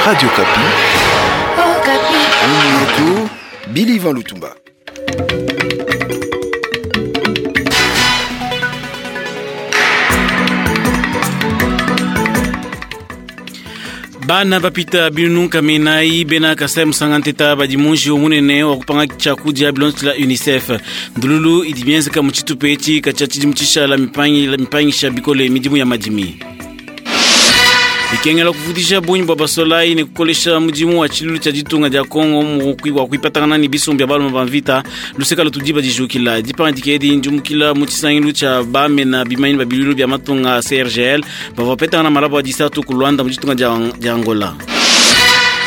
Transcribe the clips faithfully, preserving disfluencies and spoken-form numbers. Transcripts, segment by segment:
Radio Okapi. Okapi. Yetu, Billy Ivan Lutumba. Bana bapita binunu kaminai bena Kasai musanganteta badi munji munene wa kupanga tshiakudia bilonzi la UNICEF ndululu idi mienzeka mu tshitupa etshi katshia tshidimu tshishala mipangisha bikole midimu ya madimi. Ikengela kuvudisha bunyi bwa basolai ne kukolesha mudimu wa tshilulu tshia ditunga dia Kongo wa kuipatangana ne bisumbu bia balume ba mvita luseka lutudiba dijukila dipanga edi ndjumukila mu tshisangilu tshia bamena bimanyi ba bilulu bia matunga C R G L bavua bapetangana malabo a disatu ku Luanda mu ditunga dia Angola.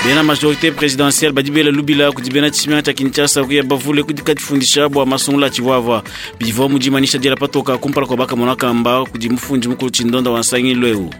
Bena majorité présidentielle badi bela lubila kudi bena tshimenga tshia Kinshasa kuya bavule kudi kadifundisha bua masungula tshivwavwa bivua mudimanisha diela patoka kumpala kwa bakamona kamba kudi mufundi mukulu tshindonda wa nsangilu eu.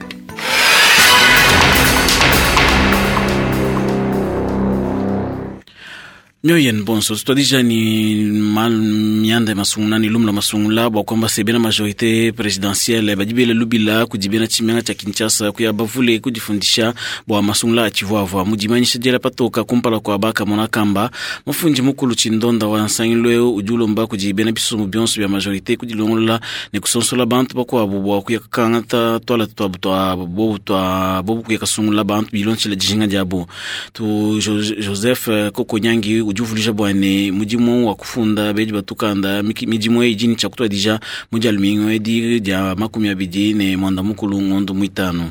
Mioyen bonso tutwadija ni mal mianda masungula ni lumla masungula bwa kwamba se bena majorité présidentielle badi bela lubila kudi bena tshimenga tshia Kinshasa kuya bavule kudifundisha bwa masungula atshivwavwa mudimanisha diela patoka kumpala kwa bakamona kamba mufundi mukulu tshindonda wa nsangilu eu udi ulomba kudi bena bisumbu bionso bia majorité kudilongolola ne kusonsola bantu bakuabu bwa kuya kakangata twala twabu twa bobu twa bobu kuya kasungula bantu bilonshila dijinga diabu tu Joseph Kokonyangi udi uvulisha bwane mudimu wa kufunda bedi batukanda midimu eyi ni tshakutwadija mudi alumingo edi dia makumi abidi ne mwanda mukulu ngondo mwitano.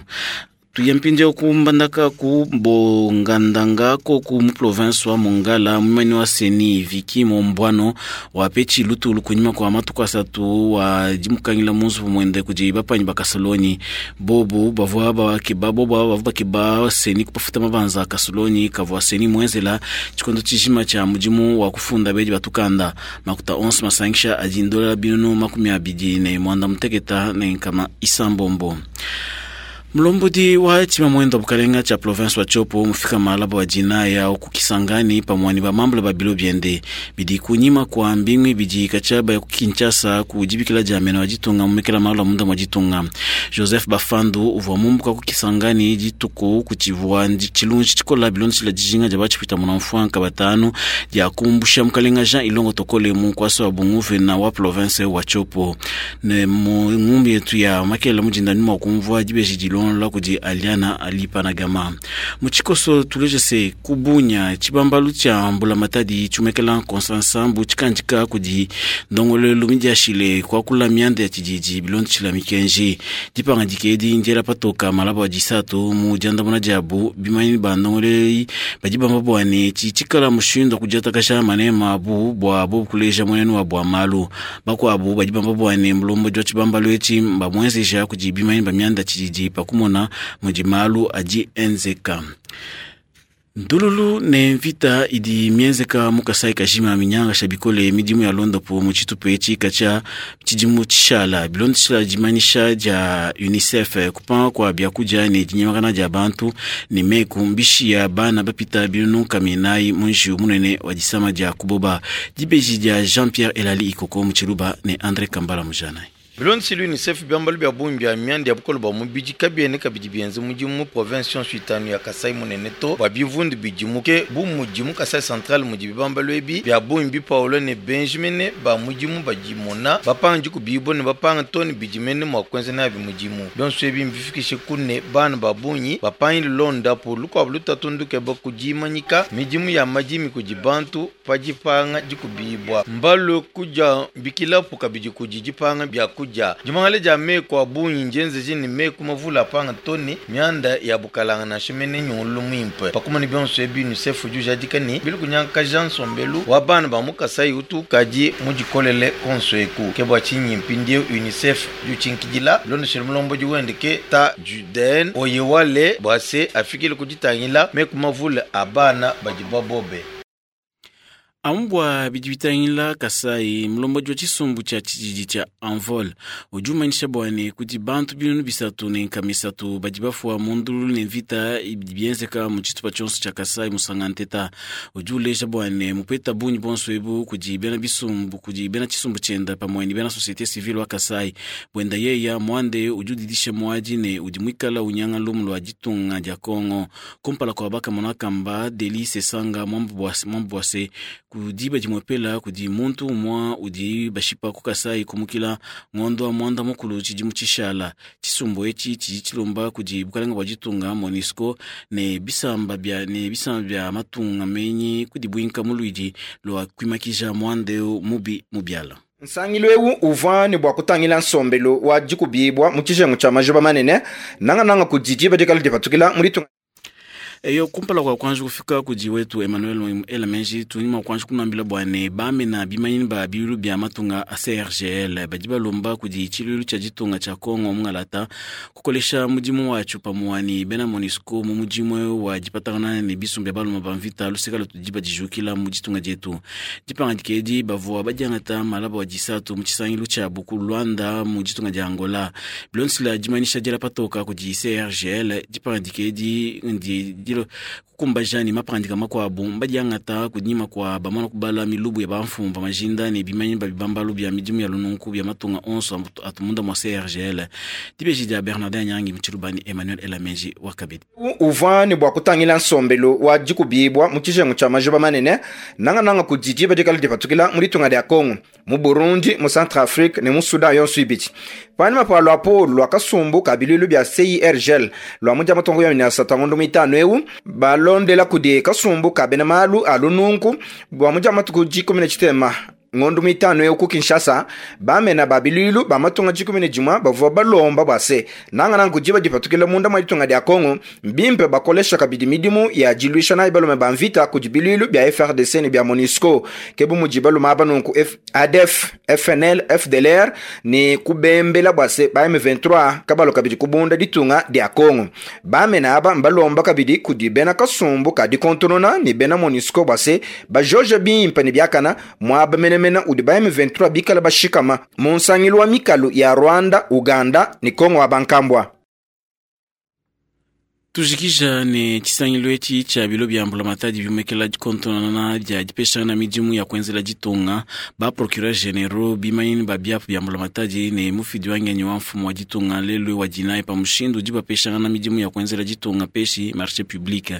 Tuyampinje kumbandaka ku bongandanga ko ku mu province wa Mongala mumani wa Seni Viki Mombwano wa pechi lutulu kunyima kwa matuku asatu wa dimukangila munzu mwende kudi bapanyi bakasoloni bobu bavua bakeba bobu bavua bakeba Seni kupafuta mabanza kasoloni kavua Seni mwenzela tshikondo tshijima tshia mudimu wa kufunda bedi batukanda makuta onse masangisha adi ndola binunu makumi abidi ne mwanda muteketa ne nkama isambombo. Mlombodi wa tshima mwendo bukalenga tshia province wa Tshopo mufika malabo wa jinaya okukisangani pamwani ba mambula ba bilo biende bidi kunyima kwa mbingwi bidi kachaba ya kukinshasa kujibikila jamena wa jitunga mumekela malula munda mwa jitunga. Joseph Bafandu uvua mumbuka kukisangani jituku kuchivua chilunji chikola bilonzi chila jijinga jaba chipita muna mfuanka batanu dia kumbusha mukalenga Jean Ilongo Tokole mu kwasa wa bunguve na wa province wa Tshopo ne mu ngumbi yetu ya makela mujinda nyuma kumvua jibeji jilon la kudi Aliana Alipanagama. Muchikoso tuleje se kubunya chibambalu cha mbula matadi chumekela konsansambu chikanjika kudi ndongole lumidia shile kwa kula mianda ya chijiji bilonzi chila mikenji dipanga dikedi njera patoka malabo wa jisatu mu janda muna jabu bimanyi ba ndongole bajibamba bwane chichikala mushindo kujata kasha manema abu bwa bo kuleja mwenenu wa bwa malu bakwabu bajibamba bwane mlombo jwa chibambalu echi mbamwezesha kudi bimanyi ba mianda chijiji pakumona mujimalu aji enzeka. Ndululu ne mvita idi mienzeka mukasai kajima minyanga shabikole midimu ya londopo mu tshitupa etshi katshia tshidimu tshishala bilonzi tshila dimanisha dia UNICEF kupanga kwa biakudia ne dinyemakana dia bantu ne meku mbishi ya bana bapita binunu kaminai munji munene wa disama dia kuboba dibeji dia Jean-Pierre Elali Ikoko mu Tshiluba ne André Kambala Mujanai. Bilonzi l'UNICEF biambalu bia bungi bia mianda ya bukolo bwa mubidi kabiene kabidi bienze mudimu mu province yonso itanu ya Kasai munene to bwa bivundu bidimuke bu mudimu Kasai Central mudi bibambalu ebi bia bungi bipaulo ne Benjamin ba mudimu badimona bapanga dikubibo ne bapanga toni bidimene mua kuenza nabi mudimu bionso ebi mbifikishe kune bana ba bungi bapangi londapo lukuabu lutatu ndukeba kudimanyika midimu ya madimi kudi bantu padipanga dikubibwa mbalu kuja bikilapo kabidi kudi dipanga bia kuja jimangale ja meko abunyi njenze jini meko mavula panga toni mianda ya bukalanga na shimene nyulu mwimpe pakumani bionso ebi UNICEF juja dikani bilu kunyanka Jean Mbelu wa bana ba mukasai utu kaji mujikolele konso eku kebwa chinyi mpindie UNICEF juchinkidila londo shilombo juwendeke ta Juden oyewale bwase afikile kujitangila meko mavula abana bajibabobe. Amu bua bidi bitangila Kasai, mulombodi wa tshisumbu tshia tshididi tshia Envol udi umanyisha bua ne kudi bantu binunu bisatu ne nkama isatu badi bafua mu ndululu ne mvita idi bienzeka mu tshitupa tshionso tshia Kasai musanga nteta. Udi uleja bua ne mupeta bungi bonso ebu kudi bena bisumbu kudi bena tshisumbu tshienda pamue ne bena société civile wa Kasai. Bwenda yeya mwande udi udidisha muadi ne udi muikala unyanga lumu lua ditunga dia Kongo. Kumpala kua bakamona kamba Delly Sesanga mwambu bwase kudi badi mwepela kudi muntu umwa udi bashipa ku Kasai kumukila ngondo wa mwanda mukulu tshidimu tshishala. Tshisumbu etshi tshidi tshilomba kudi bukalenga bua ditunga MONUSCO ne bisamba bia ne bisamba bia matunga menyi kudi buinka muluidi lua kuimakija mwande mubi mubiala. Nsangilu eu uvua ne bua kutangila nsombelu wa dikubibwa mu tshijengu tshia majuba manene nangananga kudi diba dikala dipatukila mu ditunga. Eyo kumpala kwa kwanza kufika kudi wetu Emmanuel Elamenji tunyima kwanza kunambila bwane bamena bimanyini ba bilu bya matunga a C R G L badi balomba kudi tshilulu tshia ditunga tshia Kongo mungalata kukolesha mudimu watsho pamue bena MONUSCO mu mudimu wa dipatangana ne bisumbu bya baluma ba mvita luseka lutudi badijukila mu ditunga dietu. Dipangadika edi bavua badiangata malaba wa disatu mu tshisangilu tshia buku Luanda mu ditunga dia Angola. Bilonsila dimanyisha diela patoka kudi C R G L dipangadika edi ndi dilo kukumbaja ni mapandika makuabu mbadiangata kunyima kwa bamana kubala milubu ya bamfumu ba majinda ne bimanyi ba bibambalu bya midimu ya lununku bya matunga onso atumunda mwa C R G L. Dibeji dia Bernardin Nyangi Mchilubani Emmanuel Elamenji wakabidi. Uvua ne bua kutangila nsombelu wa dikubibwa mu tshijengu tshia majuba manene nangananga kudi diba dikala dipatukila mu ditunga dia Kongo, mu Burundi, mu Centrafrique ne mu Sudan yonso ibidi. Panyima pa luapolo lua kasumbu ka biluilu bya C I R G L lua mudia matongo ya minyasa ngondo mitano eu balondela kudi kasumbu ka bena malu a lununku bua mudia matuku dikumi ne tshitema ngondo mitano eu ku Kinshasa bamena ba biluilu ba matunga dikumi ne dimua bavua balomba bua se nangananga kudiba dipatukila munda mwa ditunga dia Kongo mbimpe bakolesha kabidi midimu ya diluisha nayi balume ba mvita kudi biluilu bya F R D C ne bya MONUSCO ke bu mudi balume aba nunku A D F, F N L, F D L R ne kubembela bua se ba M vingt-trois kabalo kabidi kubunda ditunga dia Kongo. Bamena aba mbalomba kabidi kudi bena kasumbu ka dikontonona ne bena MONUSCO bua se bajoje bimpe ne biakana mwaba mene mena udi ba M vingt-trois bikala bashikama mu nsangilu wa mikalu ya Rwanda, Uganda ni Kongo wa bankambwa. Tujikija ne tshisangilu etshi tshia bilo bya mbulamatadi bimekela dikontonana dia dipeshana midimu ya kuenzela ditunga ba procureur généraux bimanyini ba biapu bya mbulamatadi ne mufidi wa ngenyi wa mfumu wa ditunga lelu wa dinayi pa mushindu udi bapeshangana midimu ya kuenzela ditunga peshi marché public.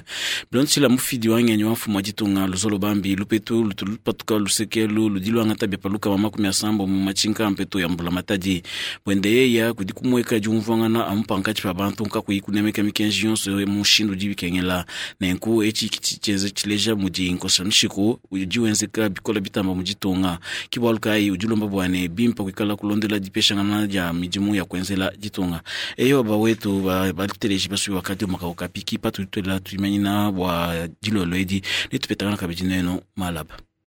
Bilontsila mufidi wa ngenyi wa mfumu wa ditunga luzolo bambi lupetu lutulupatuka lusekelu ludi luangata bya paluka wa makumi asambo mu matshinka mpeto ya mbulamatadi bwende yeya kudi kumweka diumvuangana amu pankatshi pa bantu nkakuyi kunemeka mikenji yonso mushindu udi bikengela nenku etshi kitsheze tshileja mudi nkosa mishiku udi wenzeka bikola bitamba mu ditunga kibwalu kayi udi ulomba bwane bimpa kuikala kulondela dipeshangana dia midimu ya kuenzela ditunga. Eyo bawetu bateleji basubi wakati umakauka piki patutwela tuimanyina bua dilolo edi netupetangana kabidi neno malaba.